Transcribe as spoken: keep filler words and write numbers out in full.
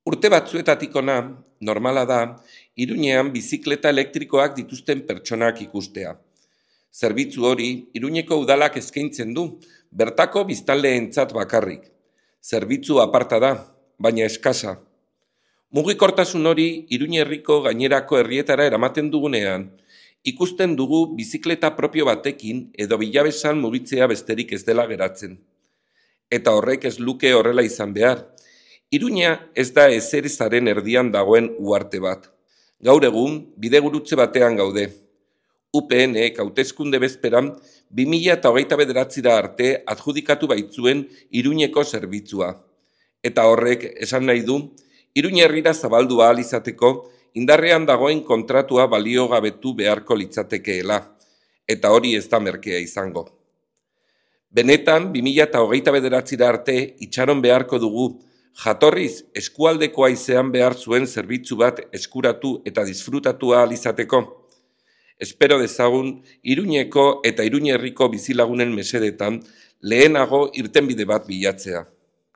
Urte batzuetatik hona, normala da, Iruñean bizikleta elektrikoak dituzten pertsonak ikustea. Zerbitzu hori Iruñeko udalak eskaintzen du, bertako biztanleentzat bakarrik. Zerbitzu aparta da, baina eskasa. Mugikortasun hori Iruñe herriko gainerako herrietara eramaten dugunean, ikusten dugu bizikleta propio batekin edo bilabesan mugitzea besterik ez dela geratzen. Eta horrek ez luke horrela izan behar. Iruña ez da ezerezaren erdian dagoen uharte bat. Gaur egun, bidegurutze batean gaude. U P N-ek hauteskunde bezperan bi mila hogeita bederatzira arte adjudikatu baitzuen Iruñeko zerbitzua. Eta horrek esan nahi du, Iruña herrira zabaldu ahal izateko indarrean dagoen kontratua baliogabetu beharko litzatekeela. Eta hori ez da merkea izango. Benetan, bi mila hogeita bederatzira arte itxaron beharko dugu, jatorriz eskualdekoa izan behar zuen zerbitzu bat eskuratu eta disfrutatu ahal izateko. Espero dezagun Iruñeko eta Iruñe herriko bizilagunen mesedetan lehenago irtenbide bat bilatzea.